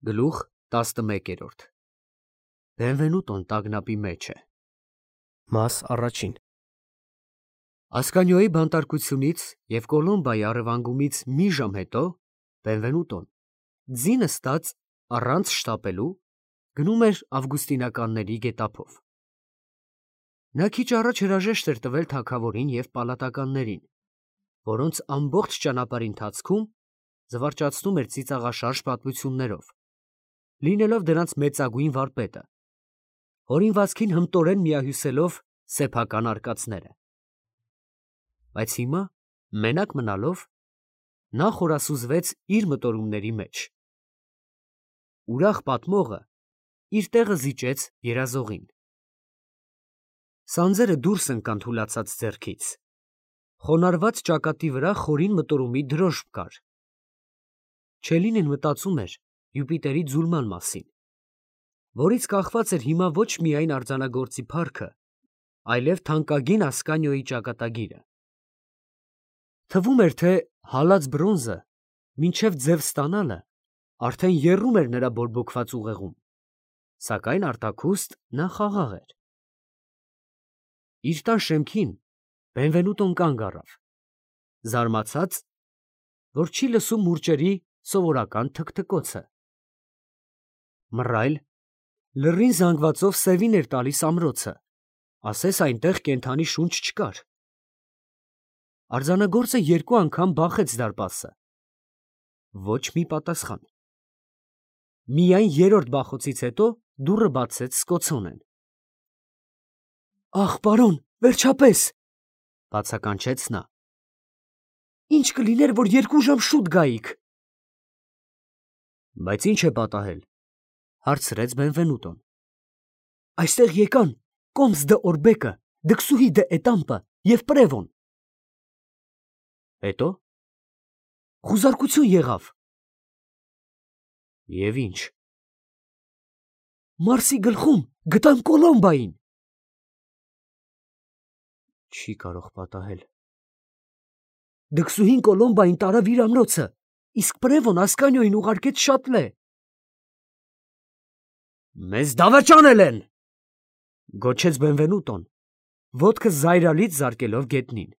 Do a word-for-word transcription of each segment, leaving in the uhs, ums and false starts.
Գլուխ տասնմեկերորդ Բենվենուտոն տագնապի մեջ է։ Մաս առաջին Ասկանյոյի բանտարկությունից և Կոլոմբայի առևանգումից մի ժամ հետո Բենվենուտոն, ձինը ստած առանց շտապելու, գնում էր ավգուստինականների գետափով։ Նա քիչ առաջ հրաժեշտ էր տվել թագավորին և պալատականներին, որոնց ամբողջ ճանապարհի ընթացքում զվարճացնում էր ծիծաղաշարժ պատմություններով, լինելով դրանց մեծագույն վարպետը, հորինվածքին հմտորեն միահյուսելով սեփական արկածները։ Բայց հիմա, մենակ մնալով, նա խորասուզվեց իր մտորումների մեջ։ Ուրախ պատմողը իր տեղը զիջեց երազողին։ Սանձերը դուրս ընկան թուլացած ձեռքից, խոնարհված ճակատի վրա խորին մտորումի դրոշմ կար։ Չելինին մտածում էր Յուպիտերի ձուլման մասին, որից կախված էր հիմա ոչ միայն արձանագործի փառքը, այլև թանկագին Ասկանիոյի ճակատագիրը։ Թվում էր, թե հալած բրոնզը մինչև ձև ստանալը արդեն եռում էր նրա բորբոքված ուղեղում, սակայն արտաքուստ նա խաղաղ էր։ Իր տան շեմքին Բենվենուտոն կանգ առավ, զարմացած, որ չի լսում մուրճերի սովորական թքթկոցը։ Մռայլ, լռին զանգվածով սևին էր տալիս ամրոցը, ասես այնտեղ կենդանի շունչ չկար։ Արձանագործը երկու անգամ բախեց դարպասը։ Ոչ մի պատասխան։ Միայն երրորդ բախոցից հետո դուռը բացեց սկոցոնեն։ «Ախ, պարոն, վերջապես, ֊ բացականչեց նա, ֊ ինչ կլիներ, որ երկու ժամ շուտ գայիք»։ «Բայց ի՞նչ է պատահել, ֊ հարցրեց Բենվենուտոն։ ֊ Այստեղ եկան Կոմս դը Օրբեկը, Դքսուհի դը Էտամպը և Պրևոն։ Հետո՞։ Խուզարկություն եղավ։ Եվ ի՞նչ։ Մարսի գլխում գտան Կոլոմբային։ Չի կարող պատահել։ Դքսուհին Կոլոմբային տարավ իր ամրոցը, իսկ Պրևոն Ասկանիոյին ուղարկեց շատլե։ Մեզ դավաճանել են, ֊ գոչեց Բենվենուտոն, ոտքը զայրալից զարկելով գետնին։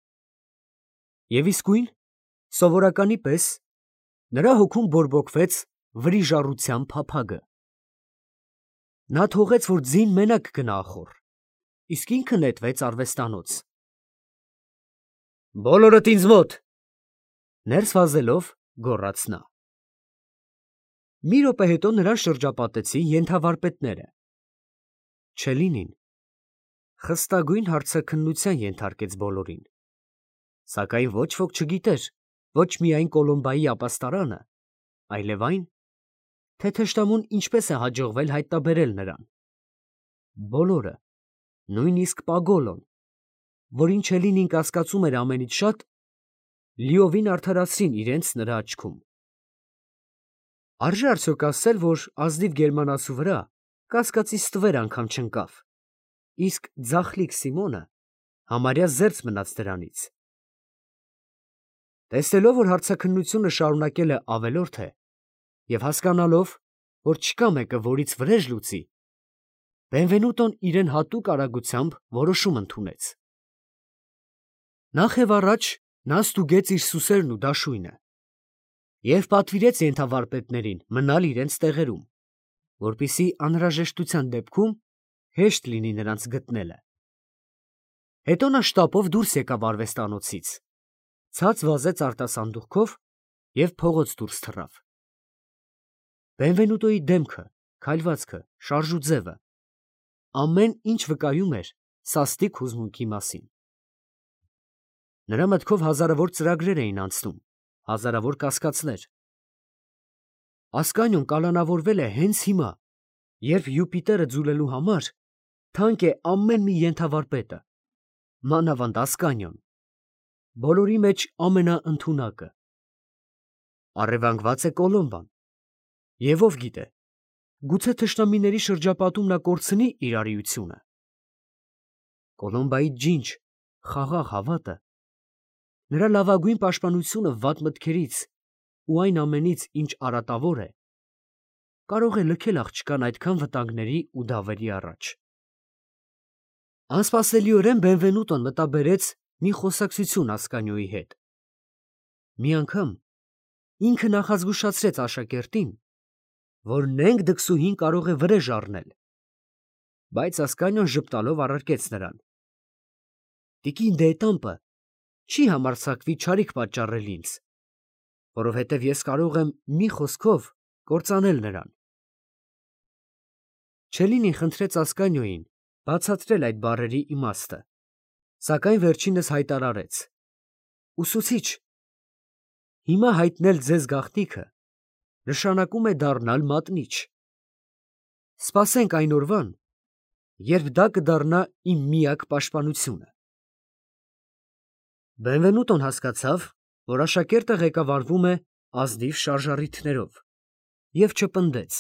Եվ իսկույն, սովորականի պես, նրա հոգում բորբոքվեց վրիժառության փափագը։ Նա թողեց, որ ձին մենակ գնա ախոռ, իսկ ինքը նետվեց արվեստանոց։ Բոլորդ ինձ մոտ, ֊ ներս վազելով գոռաց նա։ Մի րոպե հետո նրան շրջապատեցին ենթավարպետները։ Չելինին խստագույն հարցաքննության ենթարկեց բոլորին, սակայն ոչ ոք չգիտեր ոչ միայն Կոլոմբայի ապաստարանը, այլև այն, թե թշնամուն ինչպես է հաջողվել հայտնաբերել նրան։ Բոլորը, նույնիսկ Պագոլոն, որին Չելինին կասկածում էր ամենից շատ, լիովին արդարացրին իրենց նրա աչքում։ Արժե արդյոք ասել, որ ազնիվ գերմանացու վրա կասկածի ստվեր անգամ չընկավ, իսկ ձախլիկ Սիմոնը համարյա զերծ մնաց դրանից։ Տեսնելով, որ հարցաքննությունը շարունակել է ավելորդ է, և հասկանալով, որ չկա մեկը, որից վրեժ լուծի, Բենվենուտոն իրեն հատուկ արագությամբ որոշում ընդունեց։ Նախ և առաջ նա ստուգեց իր սուսերն ու դաշույնը և պատվիրեց ենթավարպետներին մնալ իրենց տեղերում, որպեսզի անհրաժեշտության դեպքում հեշտ լինի նրանց գտնելը։ Հետո նա շտապով դուրս եկավ արվեստանոցից, ցած վազեց արտասանդուղքով և փողոց դուրս թռավ։ Բենվենուտոյի դեմքը, քայլվածքը, շարժուձևը, ամեն ինչ վկայում էր սաստիկ հուզմունքի մասին։ Նրա մտքով հազարավոր ծրագրեր էին անցնում, հազարավոր կասկածներ։ Ասկանիոն կալանավորվել է հենց հիմա, երբ Յուպիտերը ձուլելու համար թանկ է ամեն մի ենթավարպետը, մանավանդ Ասկանիոն, բոլորի մեջ ամենաընդունակը։ Առևանգված է Կոլոմբան, և ով գիտե, գուցե թշնամիների շրջապատում նա կորցնի իր արիությունը։ Կոլոմբայի ջինջ, խաղաղ հավատը, նրա լավագույն պաշտպանությունը վատ մտքերից ու այն ամենից, ինչ արատավոր է, կարող է լքել աղջկան այդքան վտանգների ու դավերի առաջ։ Անսպասելիորեն Բենվենուտոն մտաբերեց մի խոսակցություն Ասկանիոյի հետ։ Մի անգամ ինքը նախազգուշացրեց աշակերտին, որ նենգ դքսուհին կարող է վրեժ առնել, բայց Ասկանիոն ժպտալով առարկեց նրան. «Տիկին դետամպը չի համարձակվի չարիք պատճառել ինձ, որովհետև ես կարող եմ մի խոսքով կործանել նրան»։ Չելինին խնդրեց Ասկանիոյին բացատրել այդ բառերի իմաստը, սակայն վերջինս հայտարարեց. «Ուսուցիչ, հիմա հայտնել ձեզ գաղտնիքը նշանակում է դառնալ մատնիչ։ Սպասենք այն օրվան, երբ դա կդառնա իմ միակ պաշտպանությունը»։ Բենվենուտոն հասկացավ, որ աշակերտը ղեկավարվում է ազնիվ շարժառիթներով, և չպնդեց.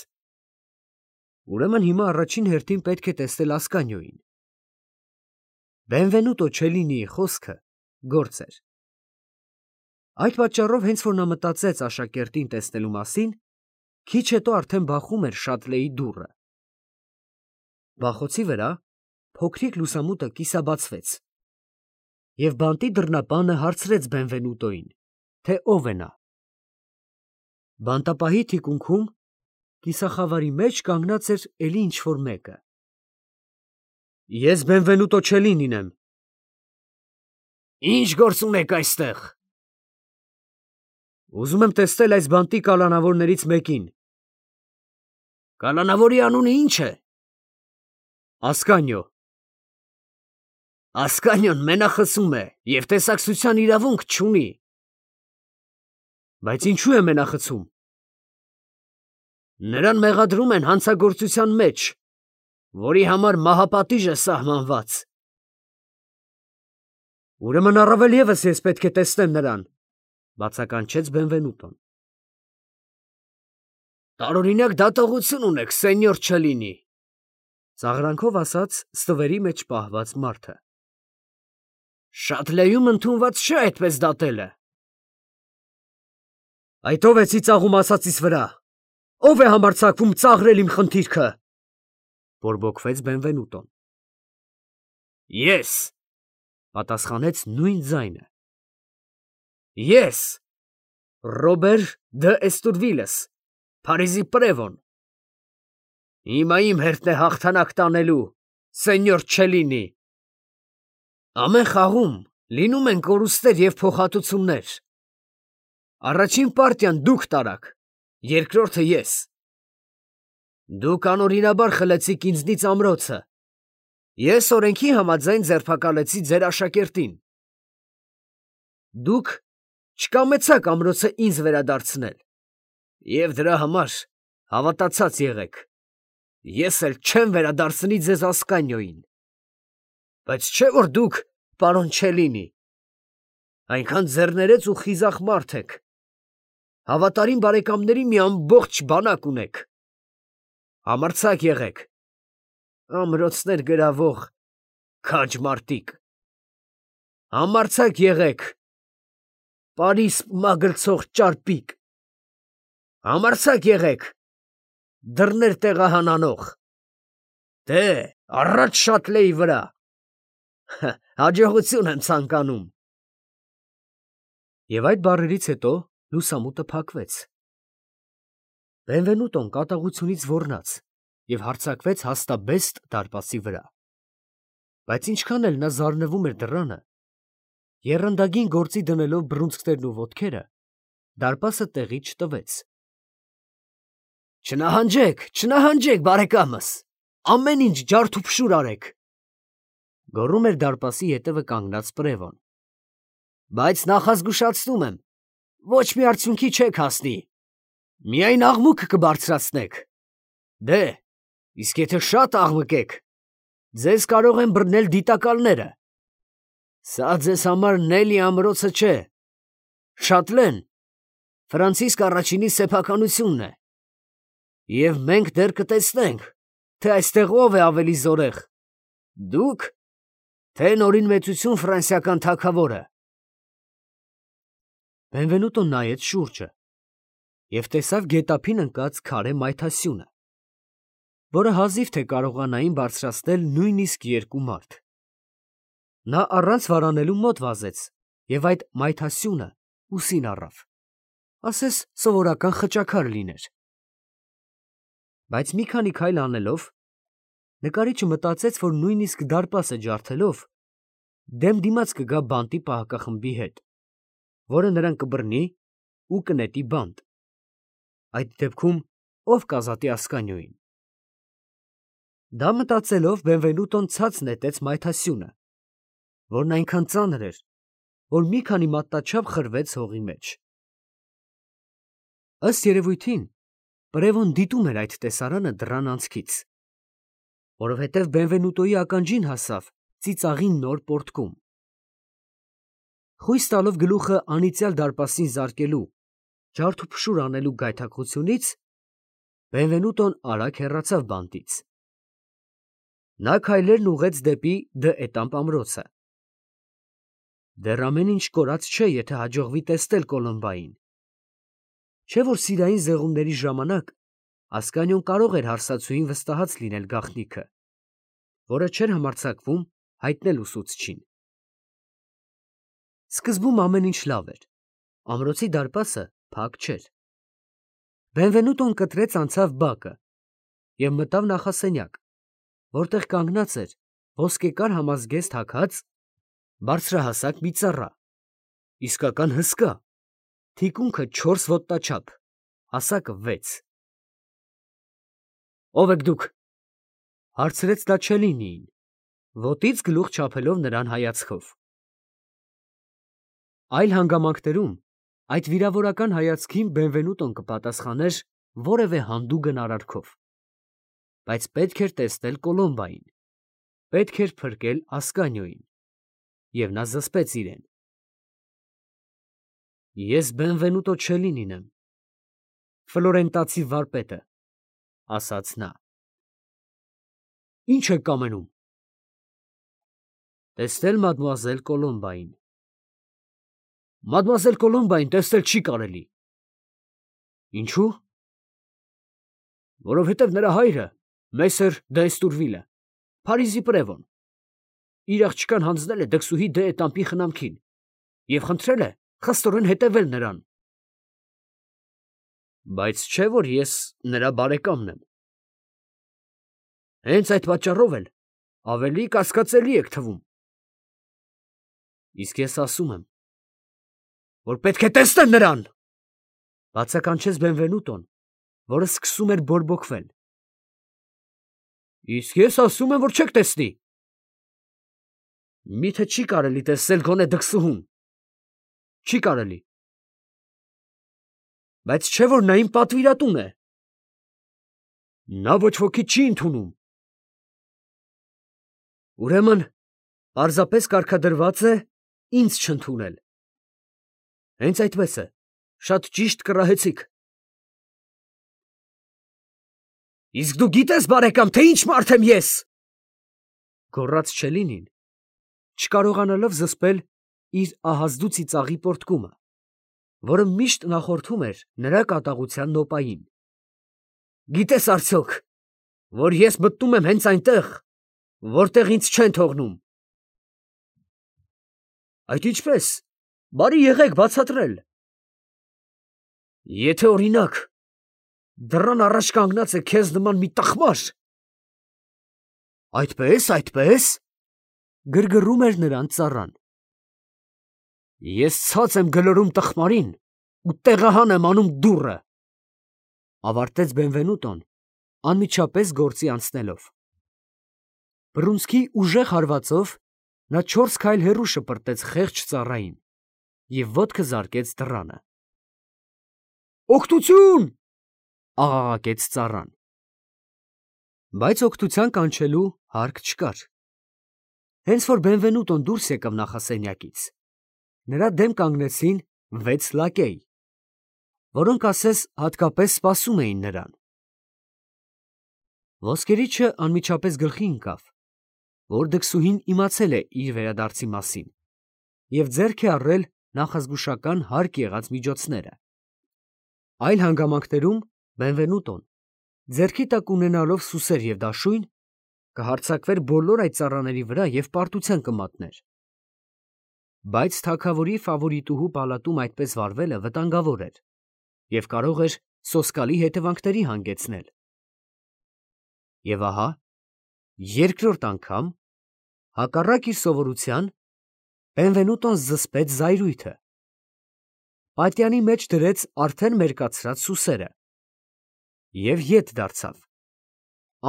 ուրեմն հիմա առաջին հերթին պետք է տեսնել Ասկանիոյին։ Բենվենուտո Չելինիի խոսքը գործ էր։ Այդ պատճառով, հենց որ նա մտածեց աշակերտին տեսնելու մասին, քիչ հետո արդեն բախում էր շատլեի դուռը։ Բախոցի վրա փոքրիկ լուսամուտը կիսաբացվեց, և բանտի դռնապանը հարցրեց Բենվենուտոյին, թե ով է նա։ Բանտապահի թիկունքում կիսախավարի մեջ կանգնած էր էլի ինչ֊որ մեկը։ «Ես Բենվենուտո Չելինին եմ»։ «Ի՞նչ գործ ունեք այստեղ»։ «Ուզում եմ տեսնել այս բանտի կալանավորներից մեկին»։ «Կալանավորի անունը ի՞նչ է»։ «Ասկանիո»։ «Ասկանիոն մենախցում է և տեսակցության իրավունք չունի»։ «Բայց ինչու է մենախցում»։ «Նրան մեղադրում են հանցագործության մեջ, որի համար մահապատիժ է սահմանված»։ «Ուրեմն առավել ևս ես պետք է տեսնեմ նրան», բացականչեց Բենվենուտոն։ «Տարօրինակ դատողություն ունեք, սենյոր Չելինի», ծաղրանքով ասաց ստվերի մեջ պահված մարդը։ «Շատլեում ընդունված չէ այդպես դատելը»։ «Այդ ո՞վ է ծիծաղում ասածիս վրա, ո՞վ է համարձակվում ծաղրել իմ խնդիրքը», բորբոքվեց Բենվենուտոն։ «Ես», պատասխանեց նույն ձայնը։ «Ես, Ռոբեր դը Էստուրվիլես, Փարիզի պրևոն։ Հիմա իմ հերթն է հաղթանակ տանելու, սենյոր Չելինի։ Ամեն խաղում լինում են կորուստներ և փոխհատուցումներ։ Առաջին պարտիան դուք տարաք, երկրորդը ես։ Դուք անօրինաբար խլեցիք ինձնից ամրոցը, ես օրենքի համաձայն ձերբակալեցի ձեր աշակերտին։ Դուք չկամեցաք ամրոցը ինձ վերադարձնել, և դրա համար հավատացած եղեք, ես էլ չեմ վերադարձնի ձեզ Ասկանիոյին։ Բայց չէ՞ որ դուք, պարոն Չելինի, այնքան ձեռներեց ու խիզախ մարդ եք, հավատարիմ բարեկամների մի ամբողջ բանակ ունեք։ Համարձակ եղեք, ամրոցներ գրավող քաջ մարդիկ։ Համարձակ եղեք, Պարիս մագլցող ճարպիկ։ Համարձակ եղեք, դռներ տեղահանանող։ Դե, առաջ Շատլեի վրա։ Հաջողություն եմ ցանկանում։ Եվ այդ բառերից հետո լուսամուտը փակվեց։ Բենվենուտոն կատաղությունից ոռնաց և հարձակվեց հաստաբեստ դարպասի վրա։ Բայց ինչքան էլ նա զարնվում էր դռանը, եռանդագին գործի դնելով բռունցքներն ու ոտքերը, դարպասը տեղից չտվեց։ «Չնահանջեք, չնահանջեք, բարեկամս, ամեն ինչ ջարդուփշուր արեք», գոռում էր դարպասի ետևը կանգնած պրևոն։ «Բայց նախազգուշացնում եմ, ոչ մի արդյունքի չեք հասնի, միայն աղմուկ կբարձրացնեք։ Դե, իսկ եթե շատ աղմկեք, ձեզ կարող են բռնել դիտակալները։ Սա ձեզ համար Նելի ամրոցը չէ, Շատլեն Ֆրանցիսկ առաջինի սեփականությունն է, և մենք դեռ կտեսնենք, թե այստեղ ով է ավելի զորեղ, դուք, թե Նորին մեծություն ֆրանսիական թագավորը»։ Բենվենուտոն նայեց շուրջը և տեսավ գետափին ընկած քարե մայթասյունը, որը հազիվ թե կարողանային բարձրացնել նույնիսկ երկու մարդ։ Նա առանց վարանելու մոտ վազեց և այդ մայթասյունը ուսին առավ, ասես սովորական խճաքար լիներ։ Բայց մի քանի քայլ անելով, նկարիչը մտածեց, որ նույնիսկ դարպասը ջարդելով դեմ դիմաց կգա բանտի պահակախմբի հետ, որը նրան կբռնի ու կնետի բանտ։ Այդ դեպքում ով կազատի Ասկանիոյին։ Դա մտածելով Բենվենուտոն ցած նետեց մայթասյունը, որն այնքան ծանր էր, որ մի քանի մատնաչափ խրվեց հողի մեջ։ Ըստ երևույթին, Պրևոն դիտում էր այդ տեսարանը դռան անցքից, որովհետև Բենվենուտոյի ականջին հասավ ծիծաղի նոր պոռթկում։ Խույս տալով գլուխը անիծյալ դարպասին զարկելու, ջարդուփշուր անելու գայթակղությունից, Բենվենուտոն արագ հեռացավ բանտից։ Նա քայլերն ուղղեց դեպի Դը Էտամպ ամրոցը։ Դեռ ամեն ինչ կորած չէ, եթե հաջողվի տեսնել Կոլոմբային։ Չէ՞ որ սիրային զեղումների ժամանակ Ասկանիոն կարող էր հարսացուին վստահած լինել գաղտնիքը, որը չէր համարձակվում հայտնել ուսուցչին։ Սկզբում ամեն ինչ լավ էր, ամրոցի դարպասը փակ չէր։ Բենվենուտոն կտրեց անցավ բակը և մտավ նախասենյակ, որտեղ կանգնած էր ոսկեկար համազգեստ հագած բարձրահասակ մի ծառա, իսկական հսկա, թիկունքը չորս ոտնաչափ, հասակը վեց։ ո՞վ եք դուք, ֊ հարցրեց նա Չելլինիին, ոտից գլուխ չափելով նրան հայացքով։ Այլ հանգամանքներում այդ վիրավորական հայացքին Բենվենուտոն կպատասխաներ որևէ հանդուգն արարքով, բայց պետք էր տեսնել Կոլոմբային, պետք էր փրկել Ասկանիոյին, և նա զսպեց իրեն։ Ես Բենվենուտո Չելլինին եմ, ֆլորենտացի վարպետը, ֊ ասաց նա։ Ի՞նչ եք կամենում։ Տեսնել մադմուազել Կոլոմբային։ Մադմուազել Կոլոմբային տեսնել չի կարելի։ Ինչո՞ւ։ Որովհետև նրա հայրը, մեսեր դ'Եստուրվիլը, Փարիզի պրևոն, իր աղջկան հանձնել է դքսուհի Դը Էտամպի խնամքին և խնդրել է խստորեն հետևել նրան։ Բայց չէ՞ որ ես նրա բարեկամն եմ։ Հենց այդ պատճառով էլ ավելի կասկածելի եք թվում։ Իսկ ես ասում եմ, որ պետք է տեսնել նրան, ֊ բացականչեց Բենվենուտոն, որը սկսում էր բորբոքվել։ Իսկ ես ասում եմ, որ չեք տեսնի։ Մի՞թե չի կարելի տեսնել գոնե դքսուհուն։ Չի կարելի։ Բայց չէ՞ որ նա իմ պատվիրատուն է։ Նա ոչ ոքի չի ընդունում։ Ուրեմն պարզապես կարգադրված է ինձ չընդունել։ Հենց այդպես է, շատ ճիշտ կռահեցիք։ Իսկ դու գիտե՞ս, բարեկամ, թե ինչ մարդ եմ ես, ֊ գոռաց Չելլինին, չկարողանալով զսպել իր ահազդու ծիծաղի պոռթկումը, որը միշտ նախորդում էր նրա կատաղության նոպային։ Գիտե՞ս արդյոք, որ ես մտնում եմ հենց այնտեղ, որտեղ ինձ չեն թողնում։ Այդ ինչպես, բարի եղեք բացատրել։ Եթե, օրինակ, դռան առաջ կանգնած է քեզ նման մի տխմար։ Այդպես, այդպես, ֊ գրգռում էր նրան ծառան։ Ես ցած եմ գլորում տխմարին ու տեղահան եմ անում դուռը, ֊ ավարտեց Բենվենուտոն, անմիջապես գործի անցնելով։ Բռունցքի ուժեղ հարվածով նա չորս քայլ հեռու շպրտեց խեղճ ծառային և ոտքը զարկեց դռանը։ Օգնությո՜ւն, ֊ աղաղակեց ծառան։ Բայց օգնության կանչելու հարկ չկար։ Հենց որ Բենվենուտոն դուրս եկավ նախասենյակից, նրա դեմ կանգնեցին վեց լակեյ, որոնք ասես հատկապես սպասում էին նրան։ Ոսկերիչը անմիջապես գլխի ընկավ, որ դքսուհին իմացել է իր վերադարձի մասին և ձեռք է առել նախազգուշական հարկ եղած միջոցները։ Այլ հանգամանքներում Բենվենուտոն, ձեռքի տակ ունենալով սուսեր և դաշույն, կհարձակվեր բոլոր այդ ծառաների վրա և պարտության կմատներ։ Բայց թագավորի ֆավորիտուհու պալատում այդպես վարվելը վտանգավոր էր և կարող էր սոսկալի հետևանքների հանգեցնել։ Եվ ահա, երկրորդ անգամ, հակառակ իր սովորության, Բենվենուտոն զսպեց զայրույթը, պատյանի մեջ դրեց արդեն մերկացրած սուսերը և ետ դարձավ,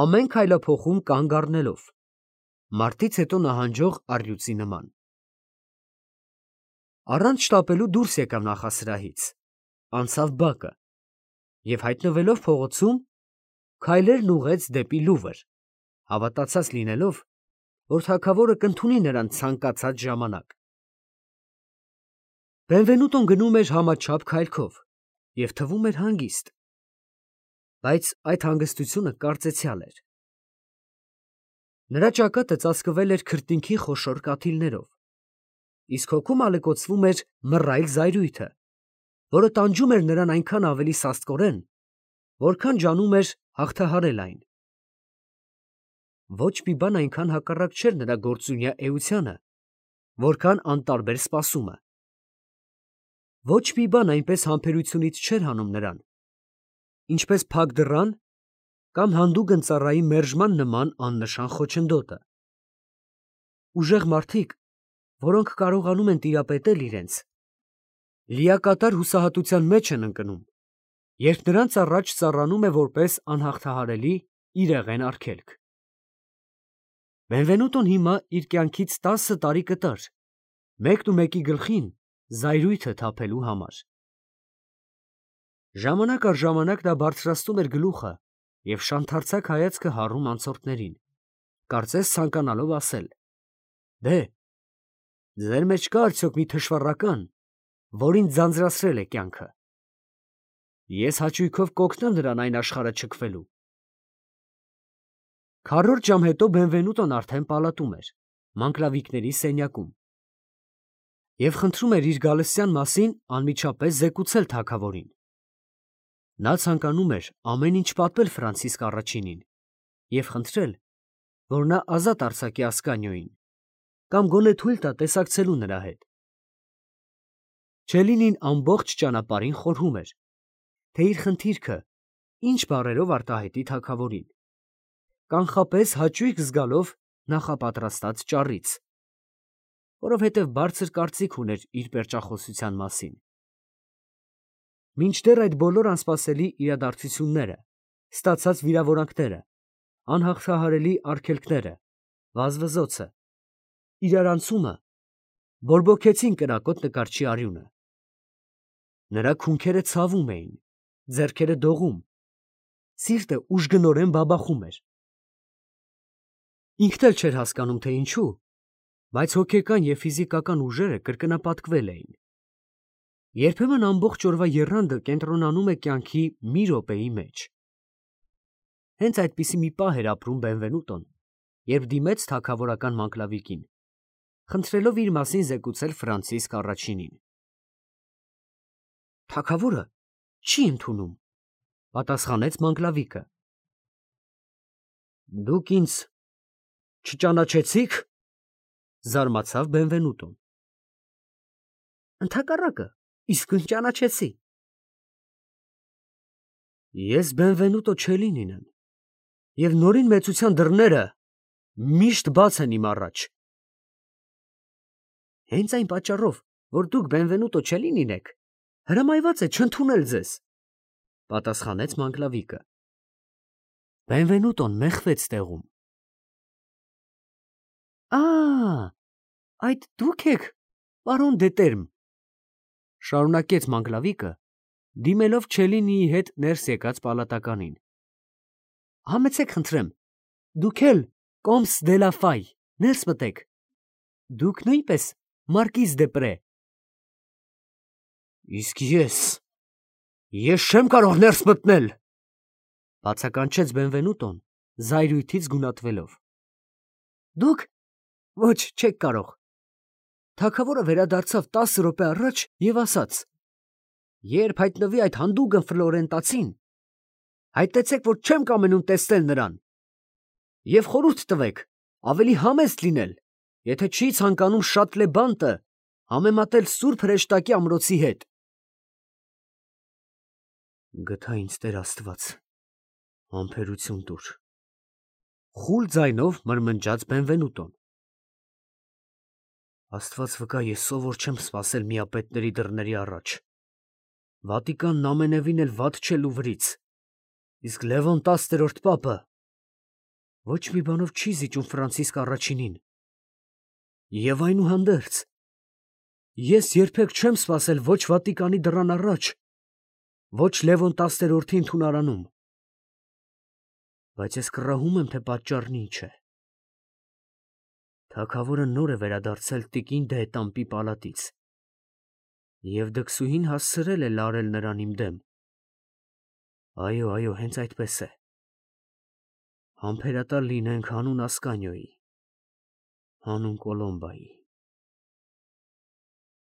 ամեն քայլափոխում կանգ առնելով, մարտից հետո նահանջող առյուծի նման։ Առանց շտապելու դուրս եկավ նախասրահից, անցավ բակը և հայտնվելով փողոցում, քայլերն ուղղեց դեպի Լուվր, հավատացած լինելով, որ թագավորը կընդունի նրան ցանկացած ժամանակ։ Բենվենուտոն գնում էր համաչափ քայլքով և թվում էր հանգիստ, բայց այդ հանգստությունը կարծեցյալ էր։ Նրա ճակատը ծածկվել էր քրտինքի խոշոր կաթիլներով, իսկ հոգում ալեկոծվում էր մռայլ զայրույթը, որը տանջում էր նրան այնքան ավելի սաստկորեն, որքան ջանում էր հաղթահարել այն։ Ոչ մի բան այնքան հակառակ չէր նրա գործունյա էությանը, որքան անտարբեր սպասումը։ Ոչ մի բան այնպես համբերությունից չէր հանում նրան, ինչպես փակ դռան կամ հանդուգն ծառայի մերժման նման աննշան խոչընդոտը։ Ուժեղ մարդիկ, որոնք կարողանում են տիրապետել իրենց, լիակատար հուսահատության մեջ են ընկնում, երբ նրանց առաջ ծառանում է որպես անհաղթահարելի իրեղեն արգելք։ Բենվենուտոն հիմա իր կյանքից տասը տարի կտար, մեկնումեկի գլխին զայրույթը թափելու համար։ Ժամանակ առ ժամանակ նա բարձրացնում էր գլուխը և շանթարցակ հայացքը հառում անցորդներին, կարծես ցանկանալով ասել. «Դե, ձեր մեջ կա՞ արդյոք մի թշվառական, որ ինձ ձանձրացրել է կյանքը։ Ես հաճույքով կօգնեմ նրան այն աշխարհը չքվելու»։ Քառորդ ժամ հետո Բենվենուտոն արդեն պալատում էր, մանկլավիկների սենյակում, և խնդրում էր իր գալստյան մասին անմիջապես զեկուցել թագավորին։ Նա ցանկանում էր ամեն ինչ պատմել Ֆրանցիսկ առաջինին և խնդրել, որ նա ազատ արձակի Ասկանիոյին կամ գոնե թույլ տա տեսակցելու նրա հետ։ Չելլինին ամբողջ ճանապարհին խորհում էր, թե իր խնդիրքը ինչ բառերով արտահայտի թագավորին, կանխապես հաճույք զգալով նախապատրաստած ճառից, որովհետև բարձր կարծիք ուներ իր պերճախոսության մասին։ Մինչդեռ այդ բոլոր անսպասելի իրադարձությունները, ստացած վիրավորանքները, անհաղթահարելի արգելքները, վազվզոցը, իրարանցումը բորբոքեցին կրակոտ նկարչի արյունը։ Նրա քունքերը ցավում էին, ձեռքերը դողում, սիրտը ուժգնորեն բաբախում էր։ Ինքն էլ չէր հասկանում, թե ինչու, բայց հոգեկան և ֆիզիկական ուժերը կրկնապատկվել էին։ Երբեմն ամբողջ օրվա եռանդը կենտրոնանում է կյանքի մի րոպեի մեջ։ Հենց այդպիսի մի պահ էր ապրում Բենվենուտոն, երբ դիմեց թագավորական մանկլավիկին, խնդրելով իր մասին զեկուցել Ֆրանցիսկ առաջինին։ «Թագավորը չի ընդունում», պատասխանեց մանկլավիկը։ «Դուք ինձ չճանաչեցի՞ք», զարմացավ Բենվենուտոն։ «Ընդհակառակը, իսկույն ճանաչեցի։ Ես Բենվենուտո Չելլինին եմ, և նորին մեծության դռները միշտ բաց են իմ առաջ»։ «Հենց այն պատճառով, որ դուք Բենվենուտո Չելլինին եք, հրամայված է չընդունել ձեզ», պատասխանեց մանկլավիկը։ Բենվենուտոն մեխվեց տեղում։ «Ա, այդ դուք եք, պարոն դե Տերմ», շարունակեց մանկլավիկը, դիմելով Չելլինիի հետ ներս եկած պալատականին։ «Համեցեք խնդրեմ, դուք էլ, կոմս դե լա Ֆայ, ներս մտեք, դուք նույնպես մարկիզ դե Պրե»։ «Իսկ ես, ես չեմ կարող ներս մտնել», բացականչեց Բենվենուտոն զայրույթից գունատվելով։ «Դուք, ոչ, չեք կարող»։ Թագավորը վերադարձավ տասը րոպե առաջ և ասաց. Երբ հայտնվի այդ հանդուգն Ֆլորենտացին, հայտեցեք, որ չեմ կամենում տեսնել նրան, և խորհուրդ տվեք ավելի համեստ լինել, եթե չի ցանկանում Շատլեբանտը համեմատել սուրբ հրեշտակի ամրոցի հետ։ Գթա ինձ Տեր Աստված, համբերություն տուր, խուլ ձայնով մրմնջաց Բենվենուտոն։ Աստված վկա, ես սովոր չեմ սպասել միապետների դռների առաջ։ Վատիկանն ամենևին էլ վատ չէ Լուվրից, իսկ Լևոն տասներորդ պապը ոչ մի բանով չի զիջում Ֆրանցիսկ առաջինին։ Եվ այնուհանդերձ, ես երբեք չեմ սպասել ոչ Վատիկանի դռան առաջ, ոչ Լևոն տասներորդի ընդունարանում, բայց ես կռահում եմ, թե պատճառն ինչ է։ Թագավորը նոր է վերադարձել տիկին դ'Ետամպի պալատից, և դքսուհին հասցրել է լարել նրան իմ դեմ։ Այո, այո, հենց այդպես է։ Համբերատար լինենք հանուն Ասկանիոյի, հանուն Կոլոմբայի։